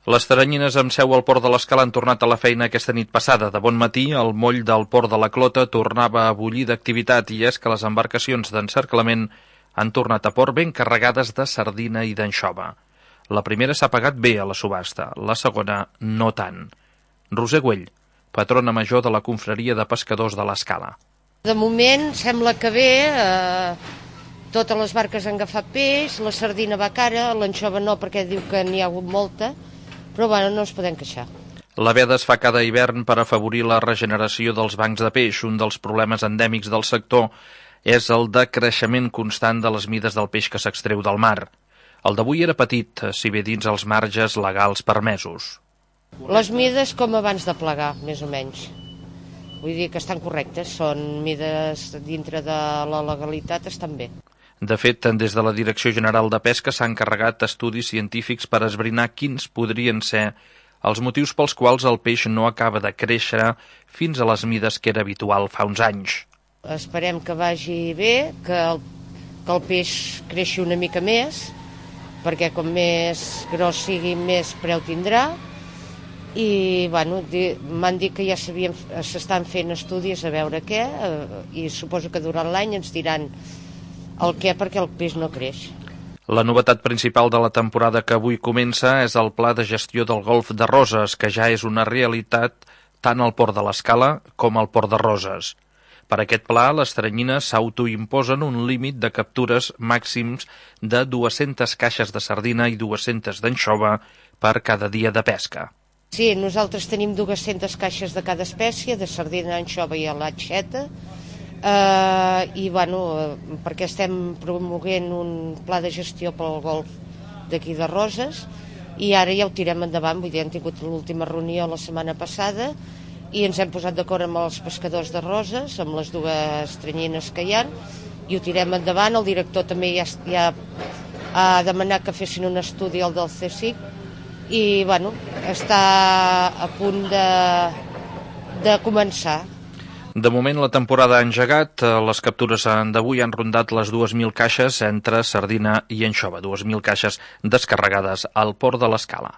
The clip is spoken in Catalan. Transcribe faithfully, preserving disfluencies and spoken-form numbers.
Les teranyines amb seu al Port de l'Escala han tornat a la feina aquesta nit passada. De bon matí, el moll del Port de la Clota tornava a bullir d'activitat i és que les embarcacions d'encerclament han tornat a port ben carregades de sardina i d'anxova. La primera s'ha pagat bé a la subhasta, la segona no tant. Roser Güell, patrona major de la confraria de pescadors de l'Escala. De moment sembla que bé, eh, totes les barques han agafat peix, la sardina va cara, l'anxova no perquè diu que n'hi ha hagut molta, però bueno, no ens podem queixar. La veda es fa cada hivern per afavorir la regeneració dels bancs de peix. Un dels problemes endèmics del sector és el decreixement constant de les mides del peix que s'extreu del mar. El d'avui era petit, si bé dins els marges legals permesos. Les mides com abans de plegar, més o menys. Vull dir que estan correctes, són mides dintre de la legalitat, estan bé. De fet, des de la Direcció General de Pesca s'han encarregat estudis científics per esbrinar quins podrien ser els motius pels quals el peix no acaba de créixer fins a les mides que era habitual fa uns anys. Esperem que vagi bé, que el, que el peix creixi una mica més, perquè com més gros sigui, més preu tindrà. I bueno, m'han dit que ja s'estan fent estudis a veure què, i suposo que durant l'any ens diran el què, perquè el peix no creix. La novetat principal de la temporada que avui comença és el Pla de Gestió del Golf de Roses, que ja és una realitat tant al Port de l'Escala com al Port de Roses. Per aquest pla, les teranyines s'autoimposen un límit de captures màxims de dues-centes caixes de sardina i dues-centes d'anxova per cada dia de pesca. Sí, nosaltres tenim dues-centes caixes de cada espècie, de sardina, anxova i alatxeta, Uh, i bueno, uh, perquè estem promoguent un pla de gestió pel golf d'aquí de Roses i ara ja ho tirem endavant. Vull dir, hem tingut l'última reunió la setmana passada i ens hem posat d'acord amb els pescadors de Roses, amb les dues teranyines que hi ha, i ho tirem endavant. El director també ja, ja ha demanat que fessin un estudi al del C S I C i bueno, està a punt de, de començar. De moment la temporada ha engegat, les captures d'avui han rondat les dues mil caixes entre sardina i anxova, dues mil caixes descarregades al Port de l'Escala.